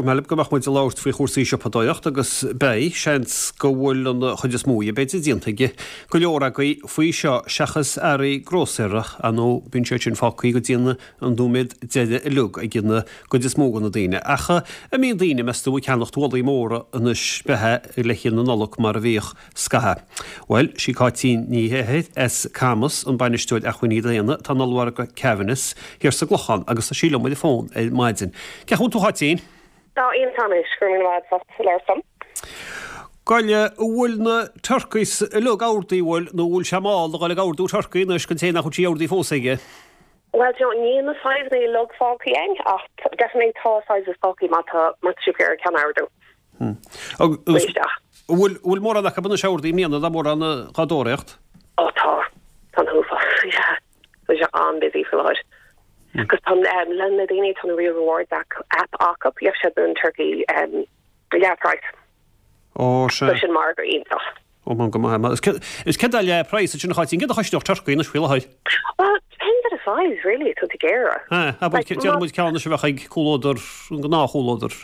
mé libh go mbeadh muid ag labhairt faoi chúrsaí siopadóireacht agus beidh, seans go bhfuil an chuid is mó dhe b'fhéidir déanta ag go leor agaibh faoi seo seachas earraí grósaera, ar ndóigh bíonn siad sin fágtha go dtí an nóiméad deiridh uilig ag an gcuid is mó de na daoine. Ach an mbíonn daoine, meas tú, ag ceannacht mhálaí móra anois beatha le haghaidh na Nollag mar a bhíodh scaithe? Bhuel, sí Cáitín Ní Shéaghdha as Camas an Bainisteoir Acmhainní Daonna atá in ollmhargadh Kavanagh's thiar sa gClochán agus tá sí liom ar an bhfón ar maidin. Cén chaoi a bhfuil tú a Cháitín? Tá iontach anois, go raibh míle maith agat as labhairt liom. Gabh i leith, an bhfuil na turkeys uilig ordaithe, bhfuil, nó an bhfuil sé mall a dhul ag ordú turcaí anois don té nach bhfuil sí ordaithe fós aige? Bhuel, do you know, níl na sizeanna uilig fágtha againn ach definitely tá sizes fágtha má tá má tá sibh ag iarraidh ceann a ordú. Agus an bhfuil, bhfuil mórán acu anois ordaithe i mbliana, tá mórán dhá dtóraíocht? Ó tá, tá an t-uafás, yeah. Tá sé an-busy faoi láthair. Agus tá le na daoine tá na Real Rewards app acu, gheobhaidh siad an turkey um, leath price. Ó, sea. So sin margadh iontach. Ó, man go maith. Is céard is céard é leath price ansin a Cháitín, céard a chosnódh turcaí anois faoi láthair? Well, depends on the size, really, tá tú ag iarraidh. Ha, abair, Like, déarfaidh muid ceann anois a bheadh ag comhluadar, an gnáthchomhluadar.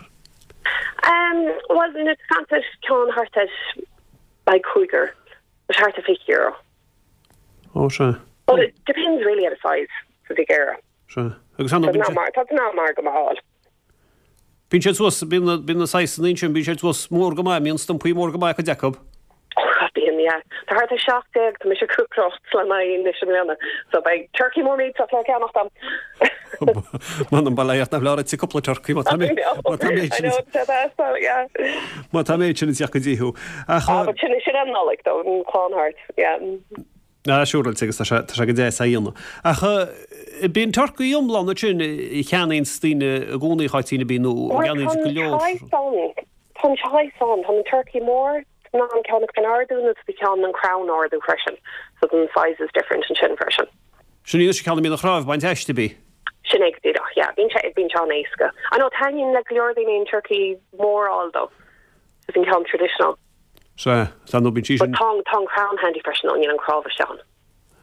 Um, well, na taispeántais ceann thart ar like cúigear, thart ar €20. Ó, sea. But it depends really on the size sa tig air. Sea. Agus an Tá mar tá ná mar go maith. Bíonn siad suas, bíonn na, bíonn na saghsanna ansin, bíonn siad suas mór go maith, bíonn stumpaí mór go maith cuid acu. Oh, bíonn, yeah. Tá thart ar 17, tá mise cúcráilt le m'aghaidh anois i mbliana. So beidh turkey mór millteach le ceannacht agam. M'anam bail ó Dhia ort nach leor duit cúpla turcaí má tá mé, má tá mé sin. I know, tá that's so, yeah. Má tá mé sin ag teacht go dtí thú. Ach. Ah, but sin, sin an Nollaig though, an clann thart, yeah. Ah, siúráilte agus tá sé, tá sé go deas á dhéanamh. Ach bíonn turcaí iomlán ansin a cheannaíonns daoine i gcónaí, a Cháitín, an mbíonn, nó a gceannaíonns go leor. Tá an choice ann, tá an choice ann, tá an turkey mór, tá an ceann ag an ardú nó tá ceann an crann ardú freisin, so the size is different ansin freisin. Sin í anois an ceann a mbíonn an chnámh bainte aisti, ab í? Sin é go díreach, yeah. Bíonn sé, bíonn sé an-éasca. I know, taitníonn le go leor daoine an turkey mór a fháil though. Is an ceann traditional. Sea, sea, nó bíonn sí sin. But tá, tá an crann handy freisin, nó níl an cnámh isteach ann.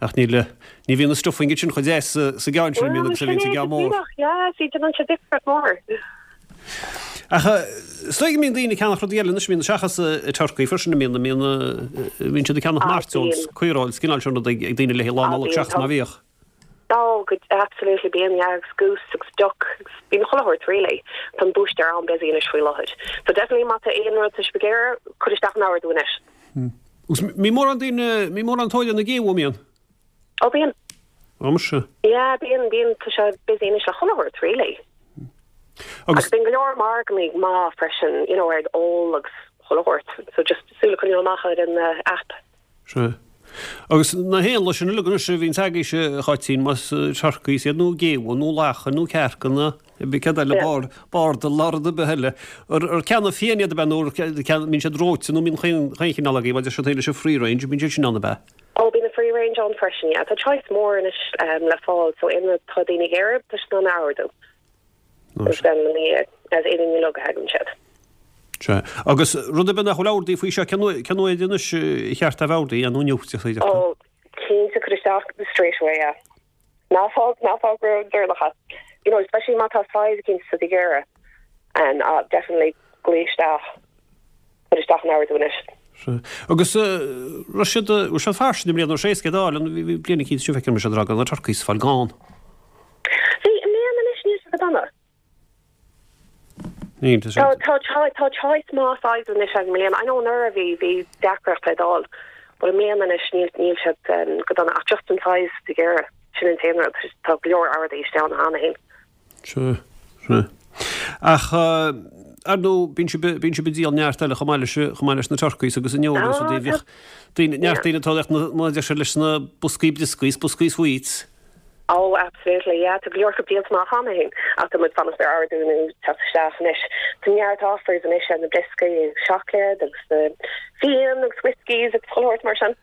Ach níl, ní bhíonn an stuffing sin chomh deas sa, sa gceann sin, a mbíonn agus a bhíonn sa gceann mór. Well, sin é go díreach, yeah, see, déanann sé difríocht mór. Ach is dóigh go mbíonn daoine ag ceannach rudaí eile anois, mbíonn, seachas turcaí freisin, mbíonn, mbíonn, mbíonn siad ag ceannach mairteoil, caoireoil, is cineál sin rudaí ag daoine le haghaidh Lá Nollag seachas mar a bhíodh. Oh, go, absolutely, bíonn, yeah, agus goose agus duck agus bíonn chuile shórt really. Tá an búistéir an-busy anois faoi láthair. So definitely má tá aon rud tá sibh ag iarraidh, cuir isteach an ordú anois. Agus mbíonn mórán daoine, mbíonn mórán tóir ar na géabha, mbíonn? Oh, bíonn. Ó, muise. Yeah, bíonn, bíonn, tá sé busy anois le chuile shórt really. Agus. Agus bíonn go leor margannaí maith freisin, you know, ar ól agus chuile shórt. So just súil a choinneáil amach ar an app. Sea. Agus na héanlaith sin uilig anois a bhíonns agaibhse, a Cháitín, más turcaí iad nó géabha nó lacha nó cearcanna, céard eile, bard, bardal nó rud ar bith eile. Ar ceannadh fiáin iad ab ea nó ar mbíonn siad reoite nó mbíonn chaon chineál agaibh, mar deir siad féin leis an free range, mbíonn siad sin ann ab ea? Ó, bíonn an free range ann freisin, yeah. Tá choice mór anois le fáil, so aon rud atá daoine ag iarraidh, tá siad in ann a ordú. Agus then na as éadain uilig a thagann siad. Sea. Agus rud ar bith nach bhfuil ordaithe faoi seo, cén uair, cén uair anois ar cheart a bheith ordaithe, nó inniu, is féidir? Ó, cinnte, cuir isteach straight away, yeah. Ná fág, ná fág ródheireanach é. You know, especially má tá size eicínt sa tigh air, and uh, definitely glaoigh isteach, cuir isteach an ordú anois. Sea. Agus raibh siad, raibh siad fairsing i mbliana, raibh sé éasca iad a fháil, an, bhí, bhí bliain eicínt seo feicim siad ag rá go raibh na turkeys ag fáil gann. Bhí, i mbliana anois, níl sé go dona. Níl, tá sé. Tá, tá, tá choice maith size anois i mbliana. I know anuraidh bhí, bhí deacracht iad a fháil, but i mbliana anois níl, níl siad go dona ach just an size de ghéire, sin an t-aon rud. Tá go leor ordaithe isteach ann cheana féin. Sea, sea. Ach, ar ndóigh, bíonn sibh, bíonn sibh ag díol neart eile chomh maith leis, chomh maith leis na turkeys agus an neoil agus rudaí. Bhíodh daoine, neart daoine ag tóraíocht na, mar a deir siad leis na boscaí brioscaí is boscaí sweets. Oh absolutely yeah tá go leor acu díolta amach cheana féin ach tá muid fanacht ar ordú nó teacht isteach anois. Tá neart offers anois ar na brioscaí agus seacláid agus na fíon agus whiskies agus chuile shórt mar sin.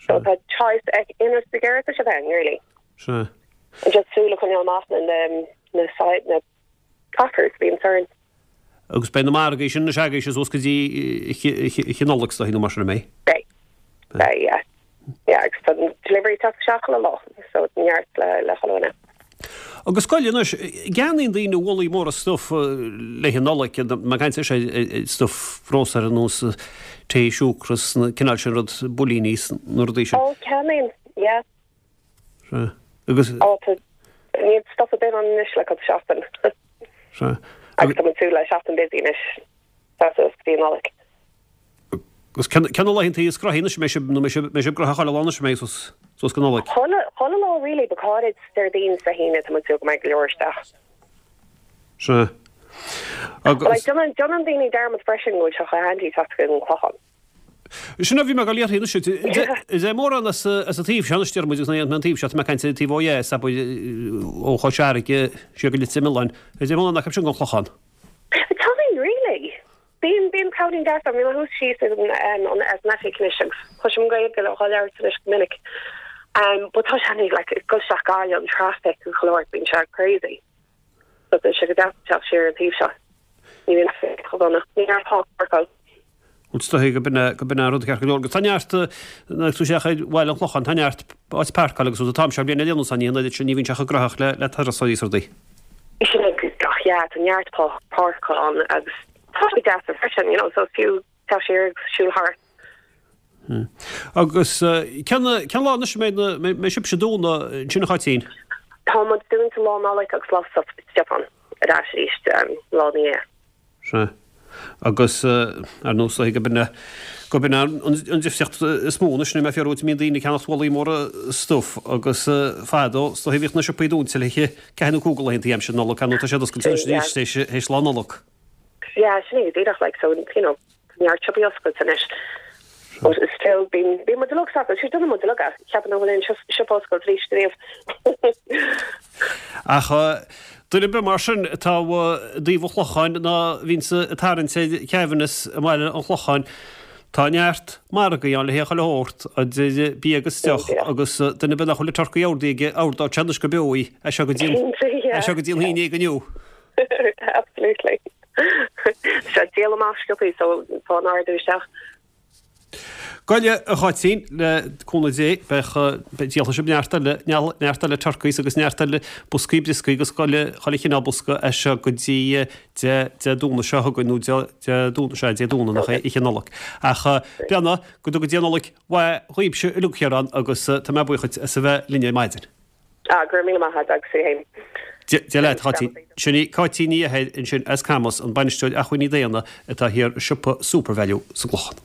So tá choice ag aon rud ag iarraidh tá siad ann really. Sea. And just súil a choinneáil amach na na na side na offers a bhíonn orainn. Agus beidh na margaí sin anois agaibhse suas go dtí an Nollaig is dóigh nó mar sin an mbeidh? Beidh. Beidh yeah. Yeah agus tá delivery teacht isteach chuile lá so neart le le chuile dhuine. Agus gabh i leith anois, an gceannaíonn daoine mhálaí móra stuif le haghaidh an Nollaig, mé ag caint anois ar stuif grósaera ar nós tae, siúcra, na cineál sin rud, builíní 's na rudaí sin. Ó, ceannaíonn, yeah. Sea. Agus. Ó, tá, níl stop ar bith ann anois le cúpla seachtain. Sea. Agus tá muid ag súil le seachtain busy anois, suas go dtí an Nollaig. Agus cé na laethanta is gnoithí anois, an mbeidh sibh, nó mbeidh sibh gnoitheach chuile lá anois, an mbeidh suas, suas go Nollaig? Chuile, chuile lá really, but go háirid Déardaoin 's Dé hAoine, tá muid ag súil go mbeidh go leor isteach. Sea. Agus. But like, déanann, déanann daoine dearmad freisin go bhfuil sé chomh handy teacht go dtí an Clochán. Sin a bhí mé ag dul a iarraidh anois. Is é mórán as an taobh seo anois, deir muid, agus an taobh seo, tá mé ag caint ar an taobh ó dheas, abair, ó Chois Fharraige siar go Leitir Mealláin. Is é mórán acu sin go an Clochán. Tagann, really. Bíonn, bíonn crowding deas ann. Bhí mé thuas síos ag an, an, as an oifig anois agus cloisim Gaeilge á labhairt anois go minic. Um, but tá sé handy, like, ag dul isteach Gaillimh, an traffic agus chuile shórt, bíonn sé crazy. So tá sé go deas teacht siar an taobh seo. Ní bhíonn traffic chomh dona. Ní raibh tá páirceáil. Bhuel, is dóigh go b'in é, go b'in é an rud ceart go leor. Agus tá neart, nuair tú isteach ar Bhaile an Chlocháin, tá neart áit páirceáil agus rud an t-am seo bliana déanamh san, ní an oiread sin, ní bhíonn sé chomh gnóthach le, le turasóirí is rudaí. Sin é go díreach, yeah, tá neart páirceáil ann agus tá sé deas freisin, you know, so is fiú teacht siar agus siúl thart. Agus cén cén lá anois a mbeidh na mbeidh sibhse dúnta ansin a Cháitín? Tá muid dúnta Lá Nollag agus Lá Stiofáin ar ais arís lá ina dhiaidh. Sea. Agus, ar ndóigh, is dóiche gurb in é, gurb in é an difríocht is mó anois, níl mé ag fiafraí uait, an mbíonn daoine ag ceannacht mhálaí móra stuif agus fadó, is dóiche, bhíodh na siopaí dúnta le ceathair nó cúig de laethanta aimsir Nollag, ar ndóigh tá siad oscailte anois arís théis, théis Lá Nollag. Yeah, sin é go díreach, like, so, you know, tá neart siopaí oscailte anois. But still, bíonn, bíonn muid uilig sásta, sure, déanann muid uilig é, cheapfainn nach bhfuil aon siopa oscailte arís riamh. Ach duine ar bith mar sin atá i dtaobh an Chlocháin ná a bhíonns ag tarraingt ar Chevanagh i mBaile an Chlocháin, tá neart margaí ann le haghaidh chuile shórt, idir bia agus deoch, agus duine ar bith nach bhfuil an turcaí ordaithe aige, ordóidh sé anois go beo í, as seo go dtí an, as seo go dtí an haon déag inniu. Absolutely. Tá díol amach sciobthaí so tá an ordú isteach. Gabh i leith, a Cháitín, le cúnamh Dé, beidh, díolfaidh sibh neart eile, neart eile turkeys agus neart eile boscaí brioscaí agus chuile, chuile chineál bosca as seo go dtí Dé, Dé Domhnaigh seo chugainn, nó Dé, Dé Domhnaigh, sea, Dé Domhnaigh nach é, Oíche Nollag. Ach, beannacht, go dtuga Dia Nollaig mhaith dhaoibhse uilig thiar ann agus tá mé buíoch duit as a bheith linn ar maidin. Ah, go raibh míle maith agat agus tú fhéin. Dia leat, a Cháitín. Sin í Cáitín Ní Eithir ansin as Camas, an Bainisteoir Acmhainní Daonna atá thiar i siopa Supervalu sa gClochán.